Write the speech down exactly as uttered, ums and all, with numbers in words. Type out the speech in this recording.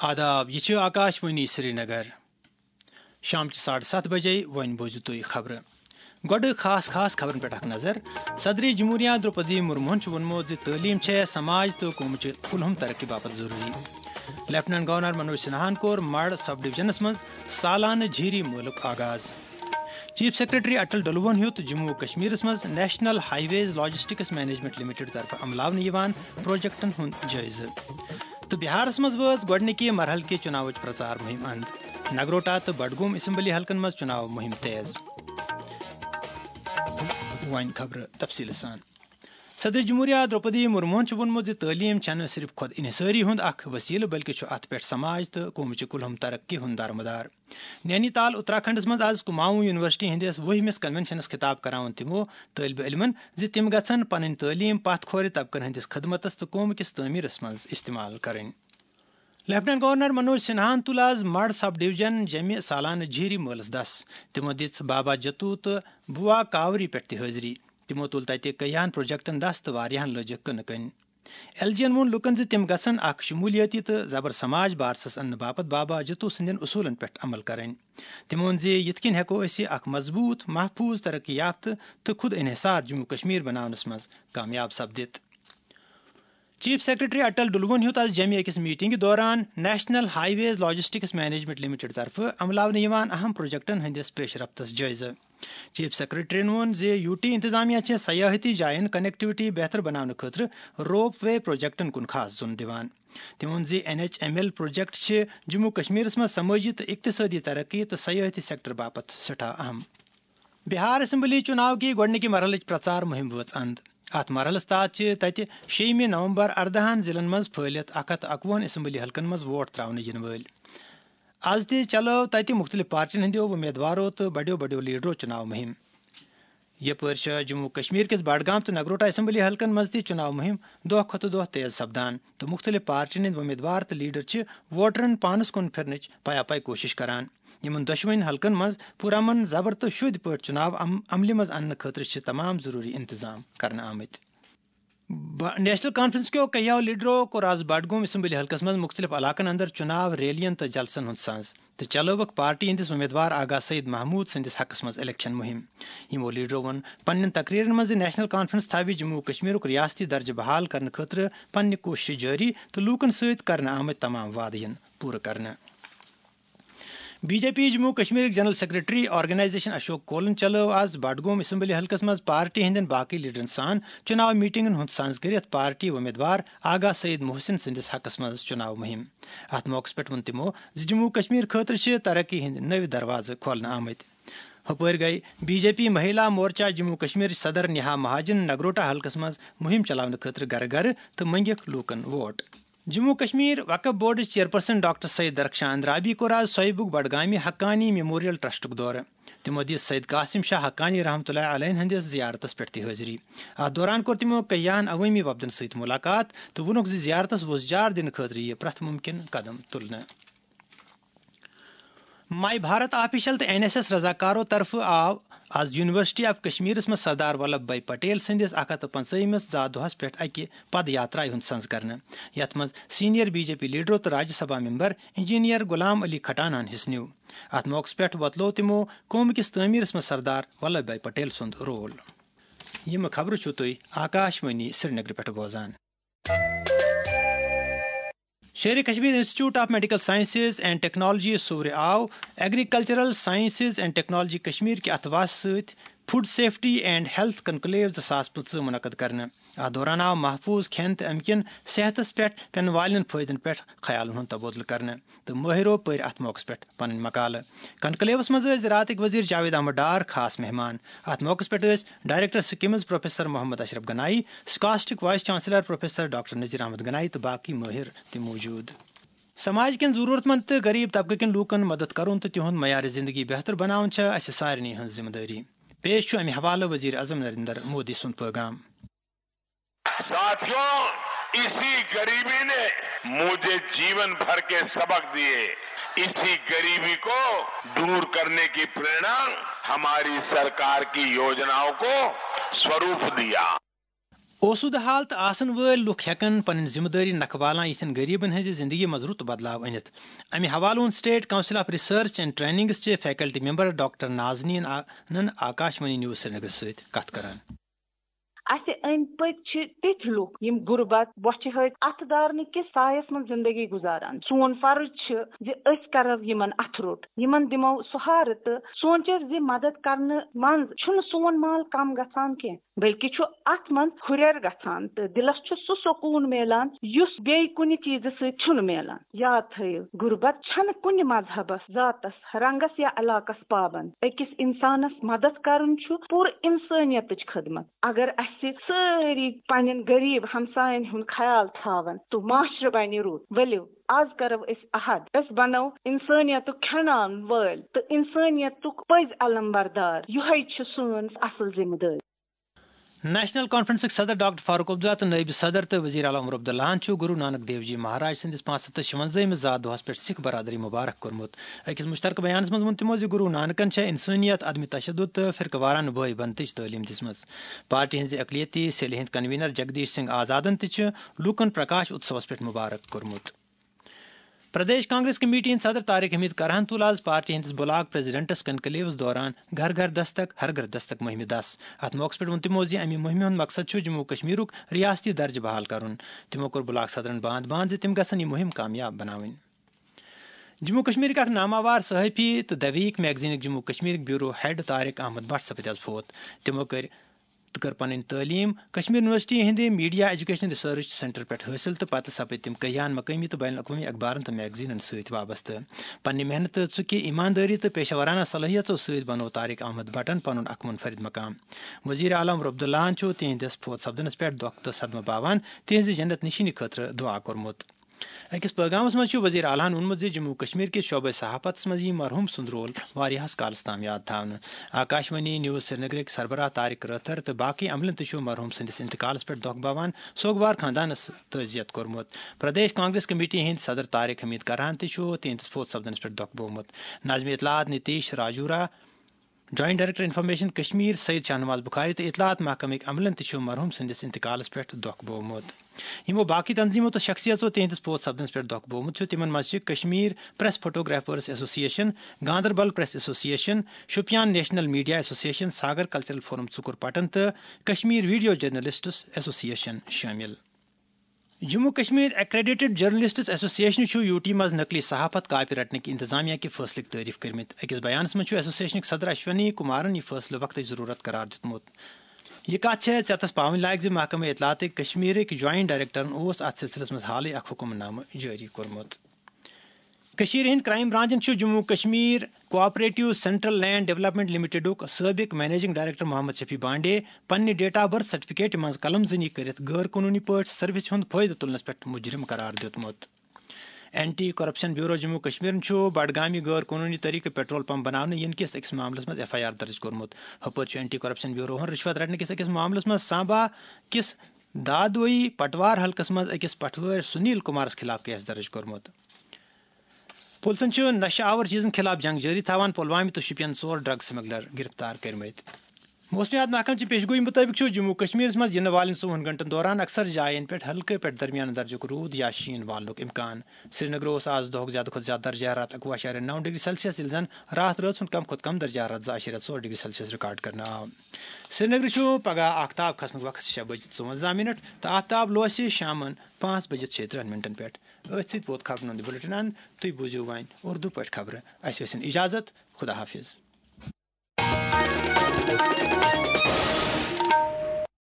آداب، یہِ چھِ آکاش وانی سرینگر۔ شام چہِ ساڑٕ ستھ بجے، وۄنۍ بوٗزِو تُہۍ خبرٕ۔ گۄڈٕ خاص خاص خبرن پٮ۪ٹھ اکھ نظر۔ صدر جمہوریہ درٛوپدی مرموہن چھُ ووٚنمُت زِ تعلیٖم چھےٚ سماج تہٕ قومٕچہِ کُلہُم ترقی باپتھ ضروٗری۔ لیفٹیننٹ گورنر منوج سنہاہن کوٚر مڑ سب ڈویژنس منٛز سالانہٕ جھیری مٲلُک آغاز۔ چیف سیکرٹری اٹل ڈلوہن ہیوٚت جموں و کشمیرس منٛز نیشنل ہائی ویز لاجسٹکس مینجمنٹ لمیٹڈ طرفہٕ عملاونہٕ یِوان پروجیکٹن ہُنٛد جٲیزٕ۔ تہٕ بہارس منٛز وٲژ گۄڈٕنِکہِ مرحلہٕ کہِ چُناوٕچ پرچار مُہِم اند۔ نگروٹا تہٕ بڈگوم اسمبلی حلقن منٛز چُناو مُہِم تیز۔ وۄنۍ خبرٕ تفصیٖل سان۔ صدر جمہوریہ درٛوپدی مرموہن چھُ ووٚنمُت زِ تعلیٖم چھَنہٕ صرف خۄد انحصٲری ہُنٛد اکھ وسیلہٕ، بلکہِ چھُ اتھ پٮ۪ٹھ سماج تہٕ قومٕچہِ کُلہُم ترقی ہُنٛد دارمدار۔ نینی تال اتراکھنڈس منٛز از کُماؤں یونیورسٹی ہٕنٛدِس وُہمِس کنونشنس خطاب کران ووٚن تِمو طٲلبہِ علمن زِ تِم گژھن پنٕنۍ تعلیٖم پتھ کھورِ طبقن ہٕنٛدِس خدمتس تہٕ قوم کِس تعمیرس منٛز استعمال کرٕنۍ۔ لیفٹیننٹ گورنر منوج سنہاہن تُل از مڑ سب ڈویژن جیمہِ سالانہٕ جھیری مٲلس دس۔ تِمو دِژ بابا جتو تہٕ بوا کاوری پٮ۪ٹھ تہِ حٲضری۔ تِمو تُل تتہِ کیاہن پروجیکٹن دس تہٕ واریاہن لٲجِکھ کٕنہٕ کٔنۍ۔ ایل جی ین ووٚن لوٗکن زِ تِم گژھن اکھ شمولیٲتی تہٕ زبر سماج بارسس اننہٕ باپتھ بابا جتو سٕنٛدٮ۪ن اصوٗلن پٮ۪ٹھ عمل کرٕنۍ۔ تِمو ووٚن زِ یِتھ کٔنۍ ہٮ۪کو أسۍ اکھ مضبوٗط، محفوٗظ، ترقی یافتہٕ تہٕ خود انحصار جموں کشمیر بناونس منٛز کامیاب سپدِتھ۔ چیف سیکرٹری اٹل ڈلوہن ہیوٚت از جیمہِ أکِس میٹنگہِ دوران نیشنل ہائی ویز لاجسٹکس مینجمنٹ لمیٹڈ طرفہٕ عملاونہٕ یِوان اہم پروجیکٹن ہٕنٛدِس پیش رفتس جٲیزٕ۔ چیف سیکرٹریَن ووٚن زِ یو ٹی انتظامیہ چھِ سیاحتی جاین کنیکٹیوٹی بہتر بناونہٕ خٲطرٕ روپ وے پروجیکٹن کُن خاص زوٚن دِوان۔ تٔمۍ ووٚن زِ N H M L project چھِ جموں کشمیرس منٛز سمٲجی تہٕ اقتصٲدی ترقی تہٕ سیاحتی سیکٹر باپتھ سٮ۪ٹھاہ اہم۔ بہار اسمبلی چُناو کہِ گۄڈٕنِکہِ مرحلٕچ پرچار مُہِم وٲژ اند۔ اتھ مرحلس تحت چھِ تتہِ شیٚیِمہِ نومبر ارداہن ضلعن منٛز پھٲلِتھ اکھ ہتھ اکوُہن اسمبلی حلقن منٛز ووٹ تراونہٕ یِنہٕ وٲلۍ۔ از تہِ چلٲو تتہِ مُختٔلِف پارٹین ہٕنٛدیو وۄمیدوارو تہٕ بڑیو بڑیو لیڈرو چُناو مُہِم۔ یپٲرۍ چھےٚ جموں کشمیر کِس بڈگام تہٕ نگروٹا اسمبلی حلقن منٛز تہِ چُناو مُہِم دۄہ کھۄتہٕ دۄہ تیز سپدان تہٕ مُختٔلِف پارٹین ہٕنٛدۍ وۄمیدوار تہٕ لیڈر چھِ ووٹرن پانس کُن پھِرنٕچ پیا پاے کوٗشش کران۔ یِمن دۄشوٕنی حلقن منٛز پُرامن زبر تہٕ شوٗدۍ پٲٹھۍ چُناو عم-، عملہِ منٛز اننہٕ خٲطرٕ چھِ تمام ضروٗری انتظام کرنہٕ آمٕتۍ۔ ب-، نیشنل کانفرنس کیو کیاہو لیڈرو کوٚر از بڈگوم اسمبلی حلقس منٛز مُختٔلِف علاقن اندر چُناو ریلین تہٕ جلسن ہُنٛد سنز تہٕ چلٲوٕکھ پارٹی ہٕنٛدِس امیدوار آغا سعید محمود سٕنٛدِس حقس منٛز الیکشن مُہِم۔ یِمو لیڈرو ووٚن پننٮ۪ن تقریرن منٛز زِ نیشنل کانفرنس تھاوِ جموں و کشمیرُک ریاستی درجہٕ بحال کرنہٕ خٲطرٕ پننہِ کوٗششہٕ جٲری تہٕ لوٗکن سۭتۍ کرنہٕ آمٕتۍ تمام وعدٕ یِن پوٗرٕ کرنہٕ۔ بی جے پی جموں و کشمیرٕکۍ جنرل سیکرٹری آرگنائزیشن اشوک کولن چلٲو از بڈگوم اسمبلی حلقس منٛز پارٹی ہٕنٛدٮ۪ن باقٕے لیڈرن سان چُناو میٹنگن ہُنٛد سنز کٔرِتھ پارٹی وۄمیدوار آغا سعید محسن سٕنٛدِس حقس منٛز چُناو مُہِم۔ اتھ موقعس پٮ۪ٹھ ووٚن تِمو زِ جموں و کشمیر خٲطرٕ چھِ ترقی ہٕنٛدۍ نٔوۍ دروازٕ کھولنہٕ آمٕتۍ۔ ہُپٲرۍ گٔیہِ بی جے پی مہیلا مورچہ جموں و کشمیر صدر نیہا مہاجن نگروٹا حلقس منٛز مُہِم چلاونہٕ خٲطرٕ گرٕ گرٕ تہٕ منٛگِکھ لوٗکن ووٹ۔ جموں و کشمیر وقف بورڈٕچ چیئرپرسن ڈاکٹر سید درخشان اندرابی کوٚر آز سویبُک بڈگامہِ حقانی میموریل ٹرسٹُک دورٕ۔ تِمو دِژ سید قاسم شاہ حقانی رحمتہ اللہ علیہ ہٕنٛدِس زیارتس پٮ۪ٹھ تہِ حٲضری۔ اتھ دوران کوٚر تِمو کیاہن عوٲمی وفدن سۭتۍ مُلاقات تہٕ ووٚنُکھ زِ زیارتس وۄزجار دِنہٕ خٲطرٕ یِیہِ پرٛٮ۪تھ مُمکِن قدم تُلنہٕ۔ ماے بھارت آفیشل تہٕ این ایس ایس رضاکارو طرفہٕ آو از یونیورسٹی آف کشمیرس منٛز سردار ولبھ بھائی پٹیل سٕنٛدِس اکھ ہتھ تہٕ پنٛژٲہمِس زا دۄہس پٮ۪ٹھ اکہِ پد یاترایہِ ہُنٛد سنز کرنہٕ، یتھ منٛز سینئر بی جے پی لیڈرو تہٕ راجیہ سبھا ممبر انجینئر غلام علی کھٹانہن حصہٕ نیوٗ۔ اتھ موقعس پٮ۪ٹھ وۄتلوو تِمو قومہٕ کِس تعمیرس منٛز سردار ولبھ بھائی پٹیل سُنٛد رول۔ یِم خبرٕ چھِو تُہۍ آکاش وانی سرینگرٕ پٮ۪ٹھ بوزان۔ Sher Kashmir institute of medical sciences and technology صوورِ of agricultural sciences and technology Kashmir کہِ اتھواسہٕ سۭتۍ food safety and health conclave زٕ ساس پٕنٛژٕہ منعقد کرنہٕ۔ اتھ دوران آو محفوٗظ کھٮ۪ن تہٕ امہِ کِنۍ صحتس پٮ۪ٹھ پٮ۪ن والٮ۪ن فٲیدن پٮ۪ٹھ خیالن ہُنٛد تبادلہٕ کرنہٕ تہٕ مٲہرو پٔرۍ اتھ موقعس پٮ۪ٹھ پنٕنۍ مقالہٕ۔ کنکلیوس منٛز ٲسۍ زراعتٕکۍ وزیر جاوید احمد ڈار خاص مہمان۔ اتھ موقعس پٮ۪ٹھ ٲسۍ director SKIMS professor Mohammad Ashraf Ganai, SKUAST vice chancellor professor doctor Nazir Ahmad Ganai تہٕ باقی مٲہر تہِ موجود۔ سماج کٮ۪ن ضروٗرت مند تہٕ غریب طبقہٕ کٮ۪ن لوٗکن مدد کرُن تہٕ تِہُنٛد معیار زندگی بہتر بناوُن چھےٚ اسہِ سارنٕے ہٕنٛز ذمہٕ دٲری۔ پیش چھُ امہِ حوالہٕ وزیر اعظم نریندر مودی سُنٛد پٲغام۔ साथियों, इसी गरीबी ने मुझे जीवन भर के सबक दिए। इसी गरीबी को दूर करने की प्रेरणा हमारी सरकार की योजनाओं को स्वरूप दिया। آسودٕ حال تہٕ آسن وٲلۍ لُکھ ہٮ۪کن پنٕنۍ ذمہٕ دٲری نکھٕ والان یِتھٮ۪ن غریبن ہٕنٛزِ زندگی منٛز رُت بدلاو أنِتھ۔ امہِ حوالہٕ ووٚن State Council of Research and Trainings چہِ faculty member ڈاکٹر نازنین آ-، نن آکاشوانی نیوز سرینگرٕ سۭتۍ کتھ کران۔ اسہِ أنٛدۍ پٔکۍ چھِ تِتھۍ لُکھ، یِم غُربت، بۄچھِ ہٕتۍ، اتھٕ دارنہٕ کِس سایس منٛز زندگی گُزاران۔ سون فرض چھُ زِ أسۍ کرو یِمن اتھٕ روٚٹ، یِمن دِمو سہارٕ تہٕ سونٛچو زِ مدد کرنہٕ منٛز چھُنہٕ سون مال کم گژھان کینٛہہ، بلکہِ چھُ اتھ منٛز ہُرٮ۪ر گژھان تہٕ دِلس چھُ سُہ سکوٗن میلان، یُس بیٚیہِ کُنہِ چیٖزٕ سۭتۍ چھُنہٕ میلان۔ یاد تھٲیِو، غُربت چھَنہٕ کُنہِ مذہبس، ذاتس، رنگس یا علاقس پابند۔ أکِس انسانس مدد کرُن چھُ پوٗرٕ انسٲنیتٕچ خدمت۔ اگر اسہِ سٲری پننٮ۪ن غریب ہمساین ہُنٛد خیال تھاون تہٕ معاشرٕ بنہِ رُت۔ ؤلِو، از کرو أسۍ عہد، أسۍ بنو انسٲنیتُک کھٮ۪ناون وٲلۍ تہٕ انسٲنیتُک پٔزۍ علم بردار۔ یِہوٚے چھِ سٲنۍ اصل ذمہٕ دٲری۔ نیشنل کانفرنسٕکۍ صدر ڈاکٹر فاروق عبداللہ تہٕ نٲیِب صدر تہٕ وزیر اعلیٰ عمر عبداللہن چھُ گُروٗ نانک دیو جی مہاراج سٕنٛدِس پانٛژھ ہتھ تہٕ شُوَنزٲہمہِ زا دۄہس پٮ۪ٹھ سکھ برادری مبارک کوٚرمُت۔ أکِس مُشترکہٕ بیانس منٛز ووٚن تِمو زِ گُروٗ نانکن چھےٚ انسٲنیت، عدم تشدد تہٕ فرقہٕ وارانہٕ بٲے بنتٕچ تعلیٖم دِژمٕژ۔ پارٹی ہٕنٛزِ اقلیتی سیلہِ ہٕنٛدۍ کنوینر جگدیش سنگھ آزادن تہِ چھُ لوٗکن پرکاش اتسوس پٮ۪ٹھ مبارک کوٚرمُت۔ پردیش کانگریس کمیٹی ہٕنٛدۍ صدر طارق حمید کرہن تُل آز پارٹی ہٕنٛدِس بلاک پریزیڈنٹس کنکلیوس دوران گھر گھر دستک، ہر گھر دستک مُہِمہِ دَس۔ اَتھ موقعس پٮ۪ٹھ ووٚن تِمو زِ اَمہِ مُہِمہِ ہُنٛد مقصد چھُ جموں و کشمیرُک ریاستی درجہٕ بحال کرُن۔ تِمو کوٚر بلاک صدرن باند باند زِ تِم گژھن یہِ مُہِم کامیاب بناوٕنۍ۔ جموں و کشمیرٕکۍ اکھ ناماوار صحافی تہٕ The Week magazineٕکۍ جموں و کشمیرٕکۍ bureau head طارق احمد بٹ سپدِ آز فوت۔ تِمو کٔرۍ تہٕ کٔر پنٕنۍ تعلیٖم کشمیر یونیورسٹی ہٕنٛدِ Media Education Research Centre پٮ۪ٹھ حٲصِل تہٕ پتہٕ سپٕدۍ تِم کیٛاہن مقٲمی تہٕ بین الاقوٲمی اخبارن تہٕ میگزینن سۭتۍ وابستہٕ۔ پننہِ محنتہٕ، ژُکہِ، ایماندٲری تہٕ پیشہ ورانہ صلٲحیژو سۭتۍ بنوو طارق احمد بٹن پنُن اکھ منفرد مقام۔ وزیر اعلیٰ عمر عبداللہن چھُ تِہنٛدِس فوت سپدنس پٮ۪ٹھ دۄکھ تہٕ صدمہٕ باوان تِہنٛزِ جنت نشینی خٲطرٕ دعا کوٚرمُت۔ أکِس پٲغامس منٛز چھُ وزیر اعلیٰ ہن ووٚنمُت زِ جموں و کشمیر کِس شعبہ صحافتس منٛز یِیہِ مرحوم سُنٛد رول واریاہس کالس تام یاد تھاونہٕ۔ آکاشوانی نیوز سرینگرٕکۍ سربراہ طارق رٲتھر تہٕ باقٕے عملن تہِ چھُ مرحوم سٕنٛدِس انتقالس پٮ۪ٹھ دۄکھ باوان سوگوار خاندانس تعزیت کوٚرمُت۔ پردیش کانگریس کمیٹی ہٕنٛدۍ صدر طارق حمید کرہن تہِ چھُ تِہنٛدِس فوت سپدنس پٮ۪ٹھ دۄکھ بوومُت۔ ناظمِ اطلاعات Nitish Rajora, joint director information Kashmir Saeed Shahnawaz Bukhari تہٕ اطلاعات محکمٕکۍ عملن تہِ چھُ مرحوم سٕنٛدِس انتقالس پٮ۪ٹھ دۄکھ بوومُت۔ یِمو باقٕے تنظیمو تہٕ شخصیژو تِہنٛدِس فوت سپدنس پٮ۪ٹھ دۄکھ بوومُت چھُ، تِمن منٛز چھِ کشمیر پریس فوٹوگرافرز ایسوسی ایشن، گاندربل پریس ایسوسی ایشن، شوپیان نیشنل میڈیا ایسوسی ایشن، ساگر کلچرل فورم ژُکُر پٹن تہٕ کشمیر ویڈیو جرنلسٹس ایسوسی ایشن شٲمِل۔ جموں کشمیر ایکریڈیٹڈ جرنلسٹس ایسوسی ایشن چھُ یوٗ ٹی منٛز نقلی صحافت کاپی رٹنٕکۍ انتظامیہ کہِ فٲصلٕکۍ تعریف کٔرمٕتۍ۔ أکِس بیانس منٛز چھُ ایسوسی ایشنٕکۍ صدر اشونی کمارن یہِ فٲصلہٕ وقتٕچ ضروٗرت قرار دیُتمُت۔ یہِ کتھ چھےٚ ژٮ۪تس پاوٕنۍ لایق زِ محکمہٕ اطلاعاتٕکۍ کشمیرٕکۍ جوائنٹ ڈائریکٹرن اوس اتھ سلسلس منٛز حالٕے اکھ حکم نامہٕ جٲری کوٚرمُت۔ کٔشیٖرِ ہٕنٛدۍ کرائم برانچن چھُ Jammu Kashmir cooperative central land development لمیٹڈُک سٲبق منیجنگ ڈائریکٹر محمد شفیع بانڈے پننہِ date of birth certificate منٛز قلم زنی کٔرِتھ غٲر قونوٗنی پٲٹھۍ سروسہِ ہُنٛد فٲیدٕ تُلنس پٮ۪ٹھ مجرم قرار دیُتمُت۔ اینٹی کرپشن بیورو جموں کشمیرن چھُ بڈگامی غٲر قونوٗنی طریقہٕ پیٹرول پمپ بناونہٕ یِنہٕ کِس أکِس معاملس منٛز ایف آئی آر درج کوٚرمُت۔ ہُپٲرۍ چھُ اینٹی کرپشن بیوروہن رشوت رٹنہٕ کِس أکِس معاملس منٛز سامبا کِس دادوئی پٹوار حلقس منٛز أکِس پٹھوٲرۍ سنیل کمارس خلاف کیس درج کوٚرمُت۔ پُلسن چھُ نشہٕ آور چیٖزن خلاف جنگ جٲری تھاوان۔ پلوامہِ تہٕ شوپین ژور ڈرگ سمگلر گرفتار کٔرمٕتۍ۔ موسمیات محکمہٕ چہِ پیشگویی مُطٲبِق چھُ جموں کشمیرس منٛز یِنہٕ والٮ۪ن ژوٚوُہن گھنٹن دوران اکثر جاین پٮ۪ٹھ ہلکہٕ پٮ۪ٹھ درمیانہٕ درجُک روٗد یا شیٖن والنُک امکان۔ سرینگرٕ اوس آز دۄہُک زیادٕ کھۄتہٕ زیادٕ درجہ حرارت اَکوُہ اَشاریہ نَو ڈگری سیلسیس، ییٚلہِ زن راتھ رٲژ ہُنٛد کم کھۄتہٕ کم درجہ حرارت زٕ اَشاریہ ژور ڈگری سیلسیس ریکارڈ کرنہٕ آو۔ سرینگرٕ چھُ پگہہ آفتاب کھسنُک وقت شےٚ بجہِ ژُوَنزاہ منٹ تہٕ آفتاب لوسہِ شامن پانٛژھ بجہِ شیٚیہِ ترٕٛہن منٹن پٮ۪ٹھ۔ أتھۍ سۭتۍ ووت خبرن ہُنٛد یہِ بُلٹن اند۔ تُہۍ بوٗزِو وۄنۍ اردو پٲٹھۍ خبرٕ۔ اَسہِ ٲسِن اجازت۔ خدا حافظ۔